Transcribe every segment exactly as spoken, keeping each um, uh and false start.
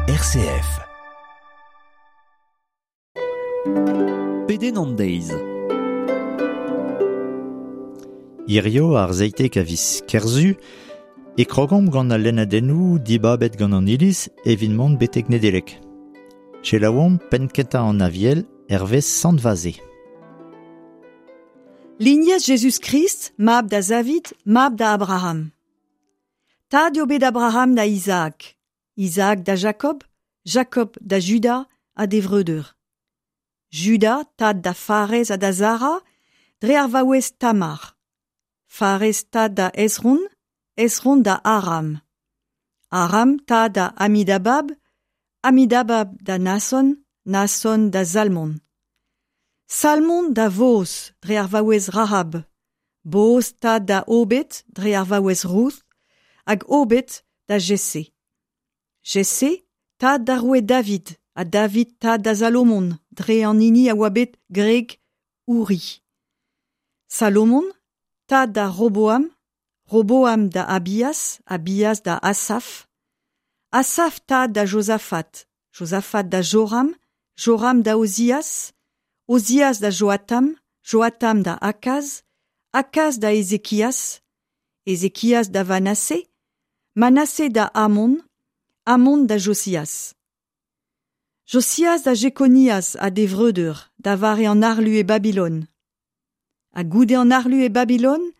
R C F. Pedenn an deiz. Hirio ar zeitek a viz Kerzu e krogomp gant al lennadennoù dibabet gant an Iliz evit mont betek Nedelec. Selaouomp penn-kentañ an Aviel hervez Sant Vaze. Lignez Jezuz-Krist, mab da Zavid, mab da Abraham. Tad eo bet Abraham da Isaac, Isaac da Jacob, Jacob da Juda ha d'e vreudeur. Juda, tad da Farez ha da Zara, dre ar vaouez Tamar. Farez tad da Esron, Esron da Aram. Aram tad da Amidabab, Amidabab da Nason, Nason da Salmon. Salmon da Voz, dre ar vaouez Rahab. Boz tad da Obed, dre ar vaouez Ruth, hag Obed da Jesse. Jesse, tad da roue David, ha David tad da Salomon, dre an hini a oa bet gwreg Uri. Salomon, tad da Roboam, Roboam da Abias, Abias da Asaf, Asaf tad da Josafat, Josafat da Joram, Joram da Ozias, Ozias da Joatam, Joatam da Akaz, Akaz da Ezekias, Ezekias da Vanase, Manase da Amon, Amon da Josias. Josias da Jekonias ha d'e vreudeur, da vare an harlu e Babilon. Ha goude an harlu e Babilon,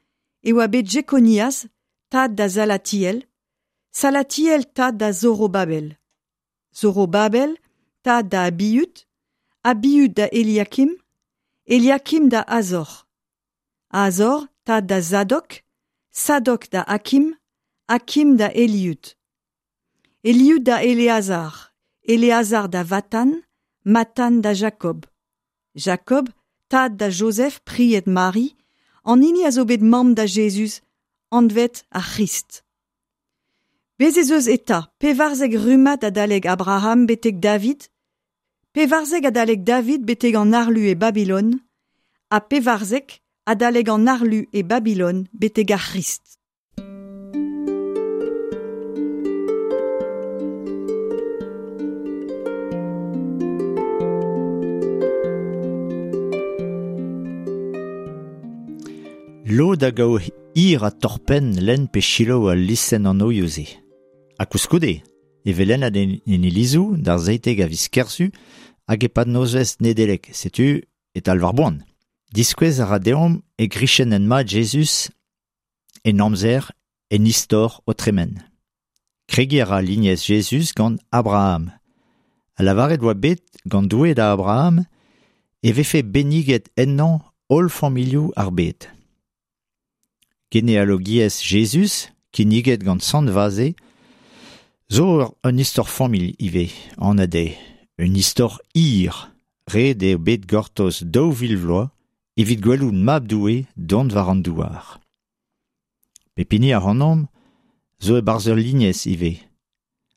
e oa bet Jekonias, tad da Zalatiel, Salatiel tad da Zorobabel. Zorobabel, tad da Abiud, Abiud da Eliakim, Eliakim da Azor. Azor, tad da Zadok, Sadok da Akim, Akim da Eliud. Eliud da Eleazar, Eleazar da Vatan, Matan da Jacob. Jacob, tad da Joseph, pried Mari, an hini a zo bet mamm da Jezuz, anvet ar C'hrist. Bez ez eus eta, pevarzek rummad adalek Abraham betek David, pevarzek adalek David betek an harlu e Babilon, ha pevarzek adalek an harlu e Babilon betek ar C'hrist. Lod a gav hir ha torr-penn lenn pe selaou al listenn anvioù-se. Ha koulskoude, e vez lennet en, en ilizoù d'ar zeitek a viz Kerzu hag e-pad nozvezh Nedeleg, setu e talv ar boan. Diskouez a ra deomp e grichenn mat Jezuz en amzer en istor o tremen. Kregiñ a ra lignez Jezuz gant Abraham. Ha lavaret oa bet gant Doue da Abraham e vefe benniget ennañ holl familhoù ar bed. Genealogiezh Jezuz, kinniget gant Sant Vaze, zo un istor familh ivez, anat eo. Un istor hir, ret eo bet gortoz daou vil vloaz evit gwelout mab Doue dont war an douar. Pep hini ac'hanomp zo e-barzh ur lignez ivez.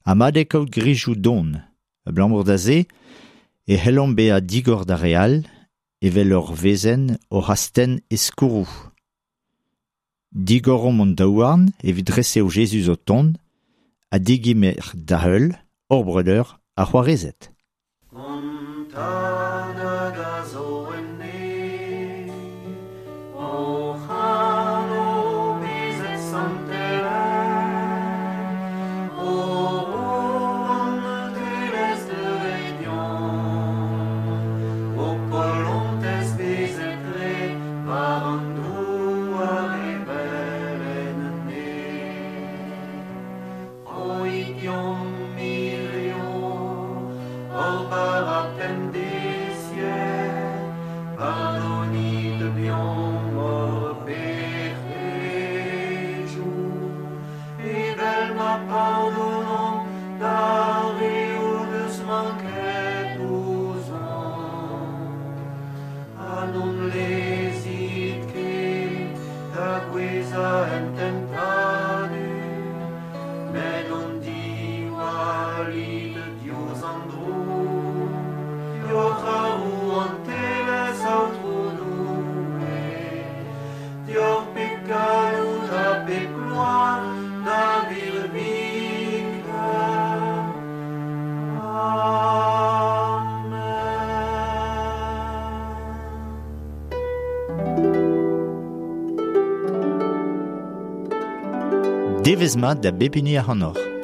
Ha mat eo kaout gwrizioù don. Abalamour da se e c'hellomp bezañ digor d'ar re all, evel ur wezenn oc'h astenn e skourroù. Digoromp hon daouarn evit resev Jezuz o tont, ha degemer da heul hor breudeur ha c'hoarezed. An Tad hag a zo en neñv, hoc'h anv bezet santelaet, ho rouantelezh deuet deomp, ho polontez bezet graet war an douar evel en neñv. Roit deomp hirio hor bara pemdeziek, pardonit deomp hor pec'hedoù, evel ma pardonomp d'ar re o deus manket ouzhomp. Ha n'hon lezit ket da gouezhañ en tentadur, met hon diwallit Devezh mat da bep hini ac'hanoc'h.